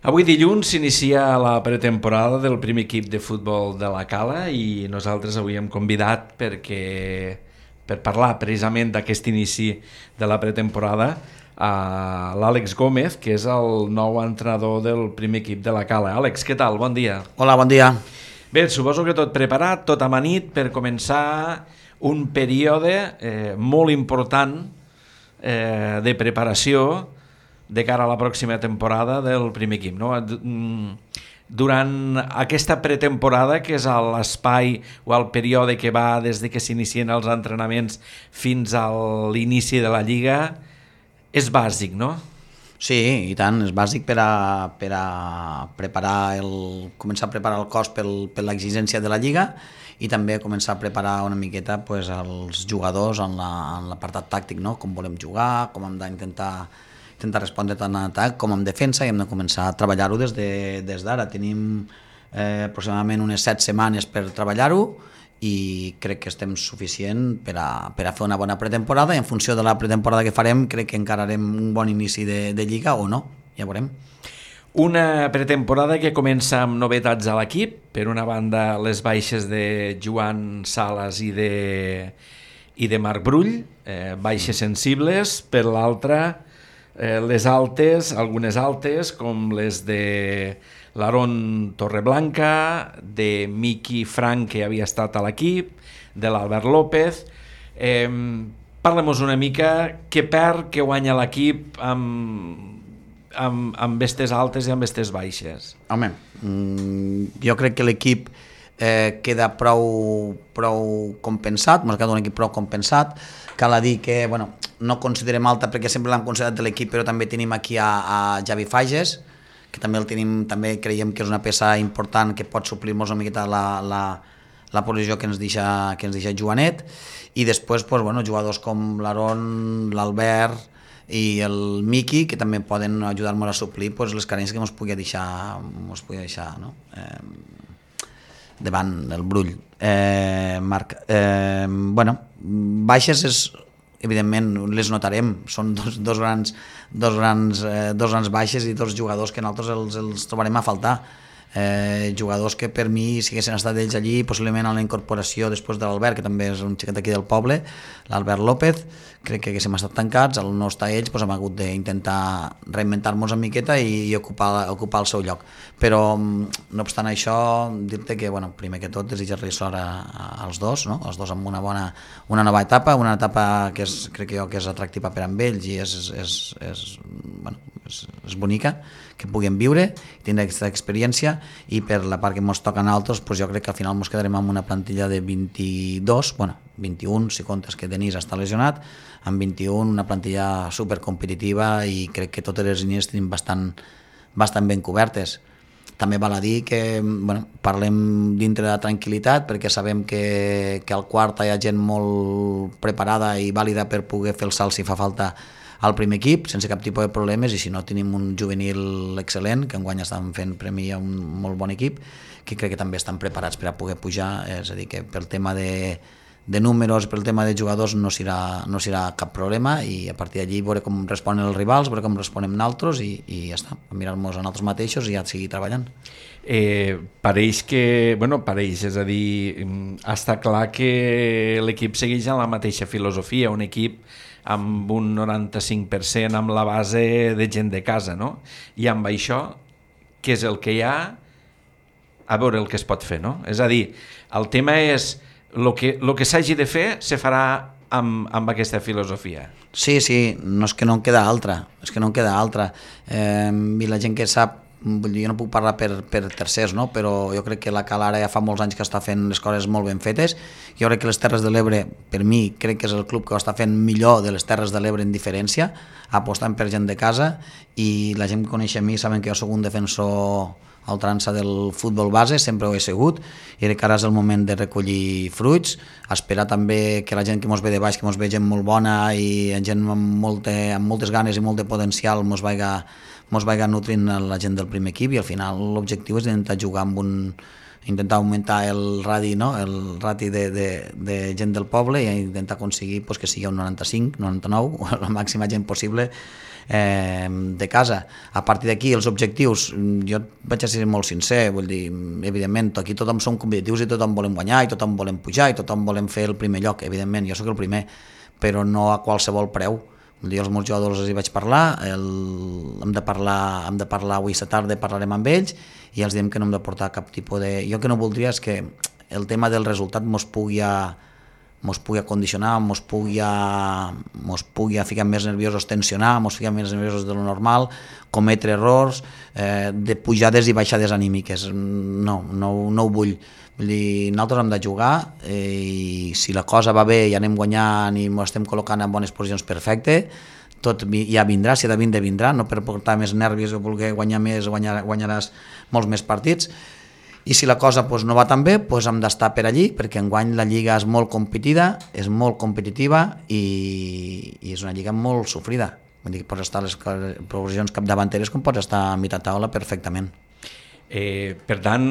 Avui dilluns s'inicia la pretemporada del primer equip de futbol de la Cala i nosaltres avui hem convidat per parlar precisament d'aquest inici de la pretemporada a l'Àlex Gómez, que és el nou entrenador del primer equip de la Cala. Àlex, què tal? Bon dia. Hola, bon dia. Bé, suposo que tot preparat, tot amanit per començar un període molt important de preparació de cara a la pròxima temporada del primer equip, no? Durant aquesta pretemporada, que és l'espai o el període que va des de que s'inicien els entrenaments fins a l'inici de la Lliga, és bàsic, no? Sí, i tant, és bàsic per a començar a preparar el cos per l'exigència de la Lliga i també començar a preparar una miqueta pues, els jugadors en l'apartat tàctic, no? Com volem jugar, com hem d'intentar respondre tant en atac com en defensa, i hem de començar a treballar-ho des d'ara. Tenim aproximadament unes 7 setmanes per treballar-ho i crec que estem suficient per a fer una bona pretemporada, i en funció de la pretemporada que farem crec que encararem un bon inici de Lliga o no, ja veurem. Una pretemporada que comença amb novetats a l'equip. Per una banda, les baixes de Joan Sales i de Marc Brull, baixes sensibles. Per l'altra, les altes, algunes altes, com les de l'Aaron Torreblanca, de Miqui Frank, que havia estat a l'equip, de l'Albert López. Parlem-nos una mica què perd, què guanya l'equip amb estes altes i amb estes baixes. Home, jo crec que l'equip queda prou compensat, m'ha quedat un equip prou compensat. Cal a dir que no considerem alta perquè sempre l'hem considerat de l'equip, però també tenim aquí a Javi Fages, que també el tenim, també creiem que és una peça important que pot suplir-nos una miqueta la posició que ens deixa Joanet, i després jugadors com l'Aaron, l'Albert i el Miqui, que també poden ajudar-nos a suplir les carències que ens pugui deixar no? Davant el Brull. Marc, baixes evidentment les notarem, són dos grans baixes i dos jugadors que nosaltres els trobarem a faltar. Jugadors que per mi, si haguessin estat ells allí, possiblement a la incorporació després de l'Albert, que també és un xiquet aquí del poble, l'Albert López, crec que haguéssim estat tancats. Al no estar ells hem hagut d'intentar reinventar-nos una miqueta i ocupar el seu lloc. Però no obstant això, dir-te que primer que tot desitjar-li sort als dos, no? Els dos amb una nova etapa, una etapa que crec jo que és atractiva per a ells i és bonica, que puguem viure, tindre aquesta experiència, i per la part que ens toca a nosaltres, jo crec que al final ens quedarem amb una plantilla de 21, si comptes que Denis està lesionat, amb 21, una plantilla supercompetitiva, i crec que totes les línies tenim bastant ben cobertes. També val a dir que parlem dintre de la tranquil·litat, perquè sabem que al quart hi ha gent molt preparada i vàlida per poder fer el salt si fa falta al primer equip, sense cap tipus de problemes, i si no tenim un juvenil excel·lent, que enguany estan fent premi a un molt bon equip, que crec que també estan preparats per a poder pujar. És a dir, que pel tema de números, pel tema de jugadors no serà cap problema, i a partir d'allí veure com responen els rivals, veure com responem nosaltres, i ja està, mirar-nos a nosaltres mateixos i ja seguir treballant. Pareix, és a dir, està clar que l'equip segueix en la mateixa filosofia, un equip amb un 95% amb la base de gent de casa, no? I amb això, què és el que hi ha, a veure el que es pot fer, no? És a dir, el tema és el que s'hagi de fer se farà amb aquesta filosofia. Sí, no és que no en queda altra, i la gent que sap, jo no puc parlar per tercers, no? Però jo crec que la Cala ara ja fa molts anys que està fent les coses molt ben fetes. Jo crec que les Terres de l'Ebre, per mi, crec que és el club que ho està fent millor de les Terres de l'Ebre en diferència, apostant per gent de casa, i la gent que coneix a mi saben que jo soc un defensor a ultrança del futbol base, sempre ho he sigut, i crec que ara és el moment de recollir fruits, esperar també que la gent que ens ve de baix, que ens ve gent molt bona i gent amb moltes ganes i molt de potencial, ens vaiga nutrint la gent del primer equip, i al final l'objectiu és intentar jugar intentar augmentar el radi, no? El rati de gent del poble i intentar aconseguir pues, que sigui un 95, 99, o la màxima gent possible de casa. A partir d'aquí, els objectius, jo vaig a ser molt sincer, vull dir, evidentment, aquí tothom som competitius i tothom volem guanyar i tothom volem pujar i tothom volem fer el primer lloc, evidentment, jo sóc el primer, però no a qualsevol preu. Vull dir, els meus jugadors els hi vaig parlar, hem de parlar avui a tarda, parlarem amb ells i els diem que no hem de portar cap tipus de... Jo que no voldria és que el tema del resultat mos pugui condicionar, mos pugui ficar més nerviosos, tensionar, mos ficar més nerviosos de lo normal, cometre errors, de pujades i baixades anímiques. No ho vull. Vull dir, nosaltres hem de jugar i si la cosa va bé i anem guanyant i ens estem col·locant en bones posicions, perfecte, tot ja vindrà, si ha de vindre, vindrà, no per portar més nervis o voler guanyar més, guanyaràs molts més partits. I si la cosa pues, no va tan bé, pues, hem d'estar per allí, perquè enguany la lliga és molt competida, és molt competitiva i és una lliga molt sofrida. Vull dir que pots estar a les posicions capdavanteres com pots estar a mitja taula perfectament. Per tant,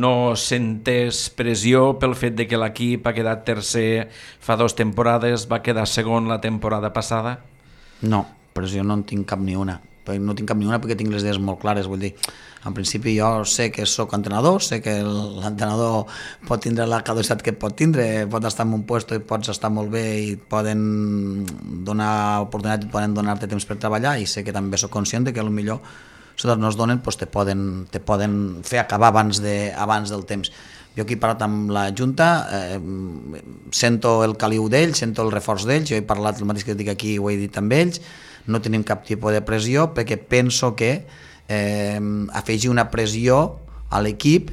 no sentes pressió pel fet de que l'equip ha quedat tercer fa 2 temporades, va quedar segon la temporada passada? No, pressió no en tinc cap ni una. No tinc cap ni una perquè tinc les idees molt clares, vull dir, en principi jo sé que sóc entrenador, sé que l'entrenador pot tindre la caducitat que pot tindre, pot estar en un lloc i pots estar molt bé i poden donar oportunitat i poden donar-te temps per treballar i sé que també sóc conscient que potser si no es donen pues te poden fer acabar abans del temps. Jo aquí he parlat amb la Junta, sento el caliu d'ells, sento el reforç d'ells, jo he parlat el mateix que dic aquí, ho he dit amb ells, no tenim cap tipus de pressió perquè penso que afegir una pressió a l'equip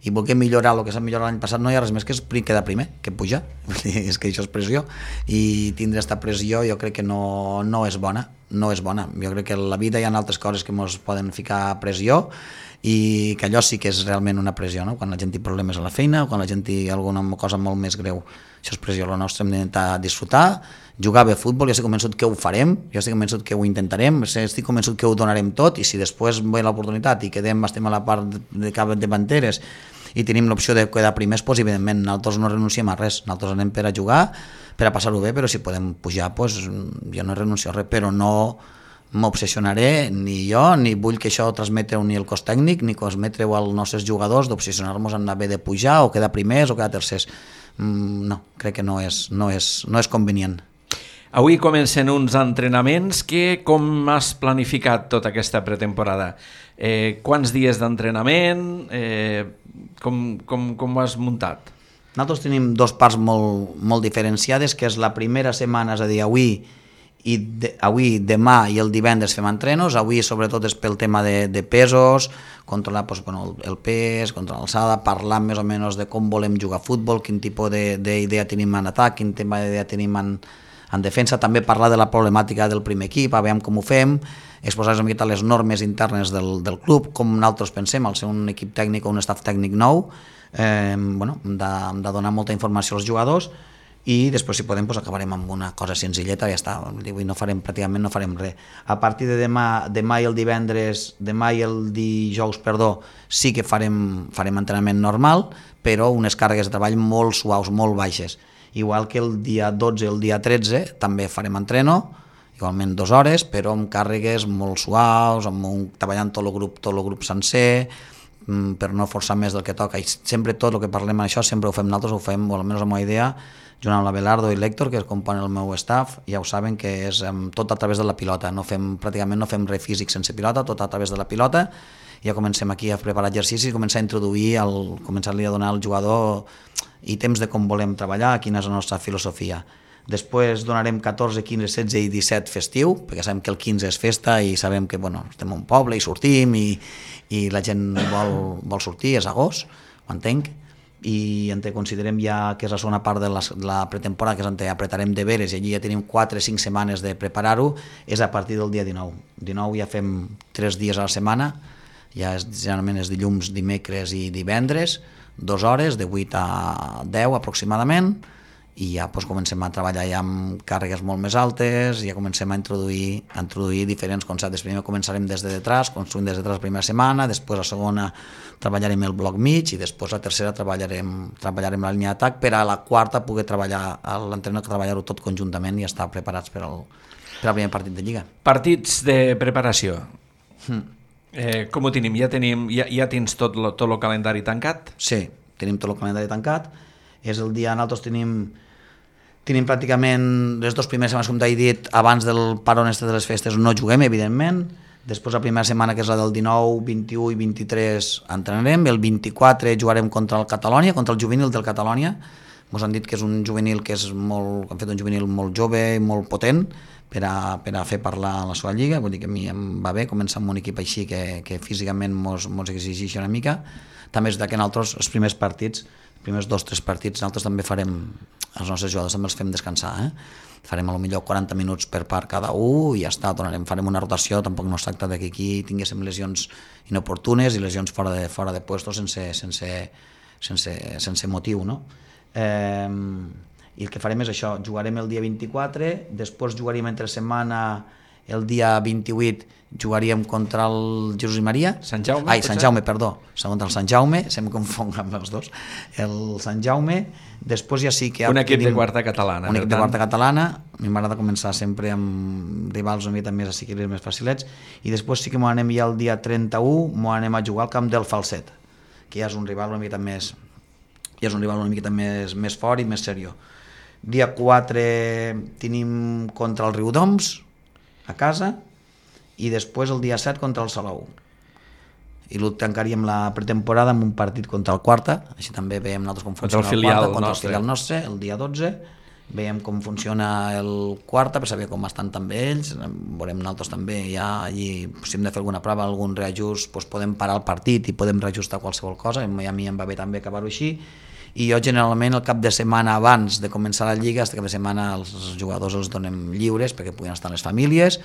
i voler millorar el que s'ha millorat l'any passat no hi ha res més que quedar primer, que pujar, és que això és pressió i tindre aquesta pressió jo crec que no és bona, jo crec que a la vida hi ha altres coses que ens poden ficar pressió i que allò sí que és realment una pressió, no? Quan la gent té problemes a la feina o quan la gent té alguna cosa molt més greu, això és pressió. La nostra hem d'intentar disfrutar, jugar bé a futbol, jo estic convençut que ho farem, jo estic convençut que ho intentarem, estic convençut que ho donarem tot i si després ve l'oportunitat i estem a la part de capdavanteres i tenim l'opció de quedar primers, doncs evidentment nosaltres no renunciem a res, nosaltres anem per a jugar, per a passar-ho bé, però si podem pujar, doncs jo no renuncio a res, però no m'obsessionaré ni jo, ni vull que això transmetreu ni el cos tècnic, ni transmetreu als nostres jugadors d'obsessionar-nos en haver de pujar o quedar primers o quedar tercers. No, crec que no és convenient. Avui comencen uns entrenaments com has planificat tota aquesta pretemporada? Quants dies d'entrenament? Com ho has muntat? Nosaltres tenim 2 parts molt diferenciades, que és la primera setmana, és a dir, avui, demà i el divendres fem entrenos. Avui sobretot és pel tema de pesos, controlar el pes, controlar l'alçada, parlar més o menys de com volem jugar a futbol, quin tipus d'idea tenim en atac, quin tipus d'idea tenim en defensa, també parlar de la problemàtica del primer equip, a veure com ho fem, exposar una miqueta les normes internes del club, com nosaltres pensem, al ser un equip tècnic o un staff tècnic nou, hem de donar molta informació als jugadors i després si podem acabarem amb una cosa senzilleta i ja està, pràcticament no farem res. A partir de demà i el dijous, sí que farem entrenament normal, però unes càrregues de treball molt suaus, molt baixes. Igual que el dia 12 i el dia 13 també farem entreno, igualment 2 hores, però amb càrregues molt suaus, treballant tot el grup sencer, per no forçar més del que toca. I sempre tot el que parlem d'això sempre ho fem nosaltres, ho fem, o almenys la meva idea, junt amb la Belardo i l'Héctor, que componen el meu staff, ja ho saben que és tot a través de la pilota, pràcticament no fem res físic sense pilota, tot a través de la pilota. Ja comencem aquí a preparar exercicis i començar a introduir, començar-li a donar al jugador ítems de com volem treballar, quina és la nostra filosofia. Després donarem 14, 15, 16 i 17 festiu, perquè sabem que el 15 és festa i sabem que estem a un poble i sortim i la gent vol sortir, és agost, ho entenc, i considerem ja que és la segona part de la pretemporada, que és on apretarem deberes i allí ja tenim 4 o 5 setmanes de preparar-ho, és a partir del dia 19. 19 ja fem 3 dies a la setmana, ja generalment és dilluns, dimecres i divendres, 2 hores, de 8 a 10 aproximadament, i ja comencem a treballar ja amb càrregues molt més altes, ja comencem a introduir diferents conceptes. Primer començarem des de detrás, construint des de detrás la primera setmana, després la segona treballarem el bloc mig i després la tercera treballarem la línia d'atac per a la quarta poder treballar l'entrenador, treballar-ho tot conjuntament i estar preparats per al primer partit de Lliga. Partits de preparació. Com ho tenim? Ja tens tot el calendari tancat? Sí, tenim tot el calendari tancat. És el dia, nosaltres tenim pràcticament les dues primeres setmanes, com t'he dit, abans del parón de les festes no juguem, evidentment. Després la primera setmana, que és la del 19, 21 i 23, entrenarem. El 24 jugarem contra el Catalonia, contra el juvenil del Catalonia. Ens han dit que és un juvenil que han fet un juvenil molt jove i molt potent per a fer parlar la seva lliga. Vull dir que a mi em va bé començar amb un equip així que físicament mos exigeix una mica. També és que nosaltres els primers partits, els primers 2 o 3 partits, nosaltres també farem, els nostres jugadors també els fem descansar, farem a lo millor 40 minuts per part cada un i ja està, farem una rotació. Tampoc no es tracta que aquí tinguéssim lesions inoportunes i lesions fora de puestos sense motiu, no? I el que farem és això, jugarem el dia 24, després jugaríem entre setmana el dia 28, jugaríem contra el Jesús i Maria. Sant Jaume? Sant Jaume, perdó, contra el Sant Jaume, se em confon amb els dos, el Sant Jaume. Després ja sí que... Un equip de quarta catalana. Un equip de quarta catalana, a mi m'agrada començar sempre amb rivals una mica més assequibles, més facilets, i després sí que m'ho anem ja el dia 31, m'ho anem a jugar al camp del Falset, que ja és un rival una mica més fort i més seriós. Dia 4 tenim contra el Riudoms a casa i després el dia 7 contra el Salou. I tancaríem la pretemporada amb un partit contra el Quarta, així també veiem nosaltres com funciona el Quarta, contra el filial nostre, el dia 12, veiem com funciona el Quarta per saber com estan també ells, veurem nosaltres també ja allí, si hem de fer alguna prova, algun reajust, doncs podem parar el partit i podem reajustar qualsevol cosa, a mi em va bé també acabar-ho així. I jo generalment el cap de setmana abans de començar la Lliga, aquest cap de setmana els jugadors els donem lliures perquè puguin estar les famílies,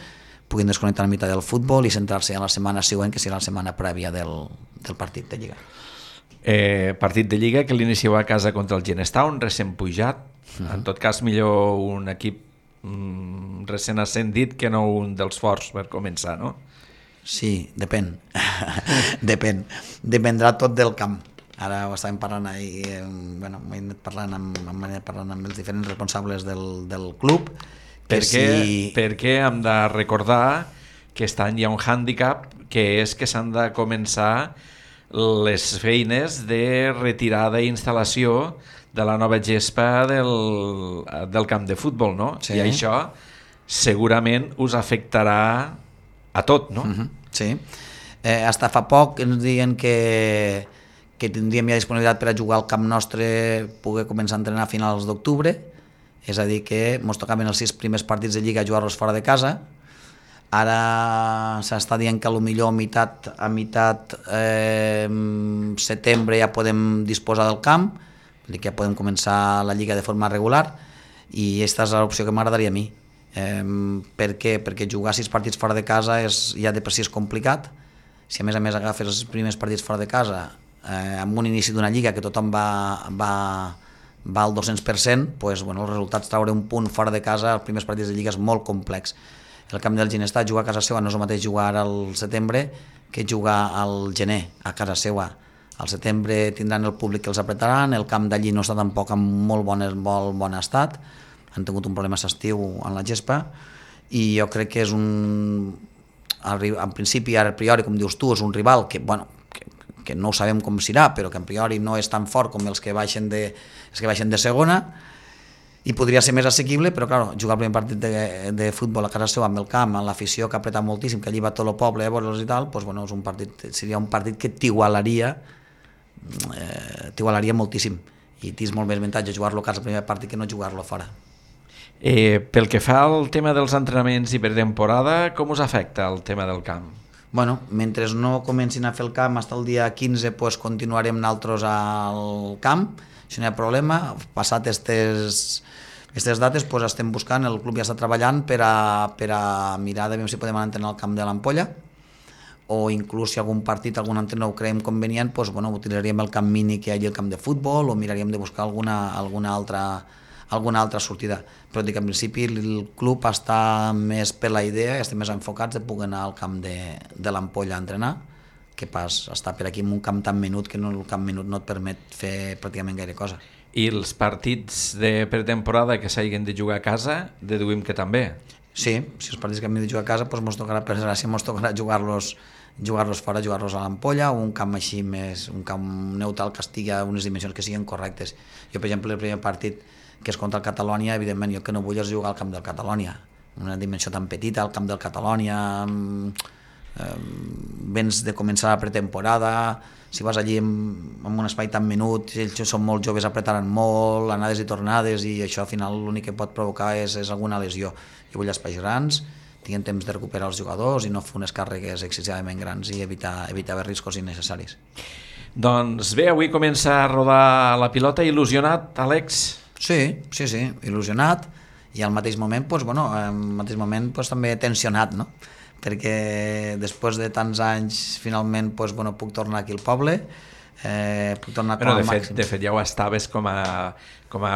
puguin desconnectar una mica del futbol i centrar-se en la setmana següent, que serà la setmana prèvia del partit de Lliga. Partit de Lliga que l'inicieu a casa contra el Genestown, recent pujat. En tot cas, millor un equip recent ascendit que no un dels forts per començar, no? Sí, depèn. Dependrà tot del camp. Ara ho estàvem parlant ahir, m'he anat parlant amb els diferents responsables del club. Perquè hem de recordar que aquest any hi ha un hàndicap, que és que s'han de començar les feines de retirada i instal·lació de la nova gespa del camp de futbol, no? Sí. I això segurament us afectarà a tot, no? Sí. Hasta fa poc ens diuen que tindríem ja disponibilitat per a jugar al camp nostre, poder començar a entrenar a finals d'octubre, és a dir que ens tocaven els 6 primers partits de Lliga a jugar-los fora de casa. Ara s'està dient que potser a meitat setembre ja podem disposar del camp, és a dir que ja podem començar la Lliga de forma regular, i aquesta és l'opció que m'agradaria a mi. Per què? Perquè jugar 6 partits fora de casa ja de per si és complicat. Si a més agafes els primers partits fora de casa amb un inici d'una lliga que tothom va al 200%, doncs, els resultats treure un punt fora de casa als primers partits de lliga és molt complex. El camp del Ginestar, jugar a casa seva no és el mateix jugar al setembre que jugar al gener a casa seva. Al setembre tindran el públic que els apretaran, el camp d'allí no està tampoc en molt bon estat, han tingut un problema s'estiu en la gespa, i jo crec que és en principi, a priori, com dius tu, és un rival que no sabem com serà, però que a priori no és tan fort com els que baixen de segona, i podria ser més assequible, però clar, jugar el primer partit de futbol a casa seva amb el camp, amb l'afició que ha apretat moltíssim, que allí va tot el poble a veure'ls i tal, doncs, seria un partit que t'igualaria moltíssim, i tens molt més avantatge jugar-lo a casa el primer partit que no jugar-lo fora. Pel que fa al tema dels entrenaments i pretemporada, com us afecta el tema del camp? Mentre no comencin a fer el camp fins al dia 15, continuarem nosaltres al camp, això no hi ha problema. Passat aquestes dates estem buscant, el club ja està treballant per a mirar de veure si podem entrenar al camp de l'Ampolla, o inclús si algun partit, algun entrenador ho creiem convenient, utilitzarem el camp mini que hi hagi al camp de futbol, o miraríem de buscar alguna altra alguna altra sortida, però dic, en principi el club està més per la idea i estem més enfocats de poder anar al camp de l'Ampolla a entrenar, que pas estar per aquí en un camp tan menut que el camp menut no et permet fer pràcticament gaire cosa. I els partits de pretemporada que s'hagin de jugar a casa, deduïm que també. Sí, si els partits que hem de jugar a casa, doncs tocarà, per desgràcia, tocarà jugar-los fora, jugar-los a l'Ampolla, o un camp així més, un camp neutral que estigui a unes dimensions que siguin correctes. Jo, per exemple, el primer partit que és contra el Catalònia, evidentment, jo que no vull és jugar al camp del Catalònia, una dimensió tan petita, al camp del Catalònia, vens de començar la pretemporada, si vas allí en un espai tan menut, ells són molt joves, apretaran molt, anades i tornades, i això al final l'únic que pot provocar és alguna lesió. Jo vull espais grans, tinguin temps de recuperar els jugadors i no fer unes càrregues excessivament grans i evitar riscos innecessaris. Doncs bé, avui comença a rodar la pilota. Il·lusionat, Àlex? Sí, il·lusionat, i al mateix moment, també tensionat, no? Perquè després de tants anys finalment puc tornar aquí al poble, puc tornar com a màxim. De fet ja ho estaves com a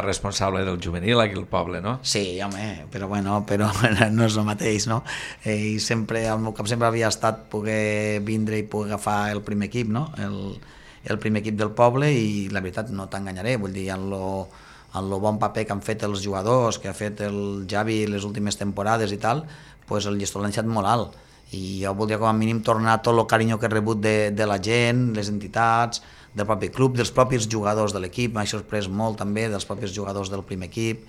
responsable del juvenil aquí al poble, no? Sí, home, però no és el mateix, no? I sempre, al meu cap sempre havia estat poder vindre i poder agafar el primer equip, no? El primer equip del poble, i la veritat no t'enganyaré, vull dir, en lo bon paper que han fet els jugadors, que ha fet el Javi les últimes temporades i tal, pues el llistó l'ha deixat molt alt, i jo voldria com a mínim tornar tot el carinyo que he rebut de la gent, les entitats, del propi club, dels propis jugadors de l'equip. M'ha sorprès molt també dels propis jugadors del primer equip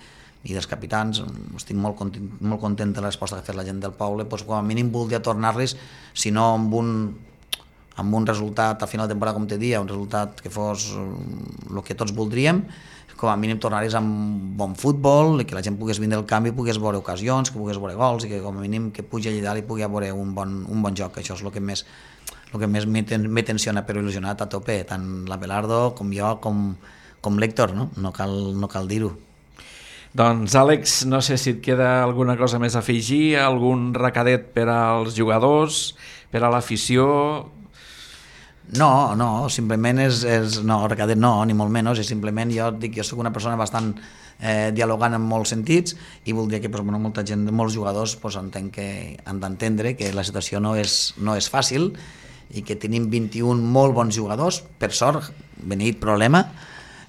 i dels capitans. Estic molt content de la resposta que ha fet la gent del poble, doncs com a mínim voldria tornar-los, si no amb un resultat a final de temporada, com te dia, un resultat que fos el que tots voldríem, com a mínim tornar-los amb bon futbol, i que la gent pogués vindre al camp i pogués veure ocasions, que pogués veure gols, i que com a mínim que pugi allà dalt i pugui veure un bon joc. Això és el que més m'he tensionat, però il·lusionat a tope, tant l'Abelardo com jo, com l'Héctor, no cal dir-ho. Doncs Àlex, no sé si et queda alguna cosa més a afegir, algun recadet per als jugadors, per a l'afició. No, simplement no, recadet no, ni molt menys, és simplement, jo soc una persona bastant dialogant en molts sentits, i voldria que molta gent, molts jugadors, entenc que han d'entendre que la situació no és fàcil, i que tenim 21 molt bons jugadors, per sort, beneït problema,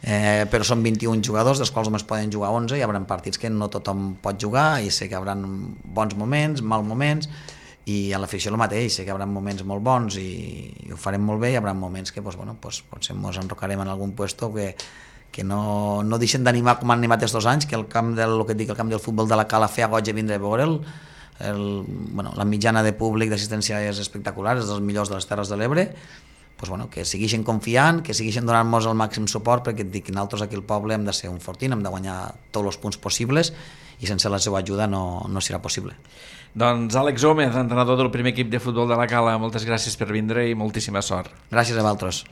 però són 21 jugadors, dels quals només poden jugar 11, hi haurà partits que no tothom pot jugar, i sé que hi haurà bons moments, mal moments, i a l'afició el mateix, sé que hi haurà moments molt bons i ho farem molt bé, hi haurà moments que potser ens enrocarem en algun puesto que no deixen d'animar com han animat aquests 2 anys, que el camp del futbol de la Cala feia goig de vindre a veure'l. La mitjana de públic d'assistència és espectacular, és dels millors de les Terres de l'Ebre. Que segueixen confiant, que segueixen donant-nos el màxim suport, perquè et dic que nosaltres aquí al poble hem de ser un fortín, hem de guanyar tots els punts possibles, i sense la seva ajuda no serà possible. Doncs Àlex Gómez, entrenador del primer equip de futbol de la Cala, moltes gràcies per vindre i moltíssima sort. Gràcies a vosaltres.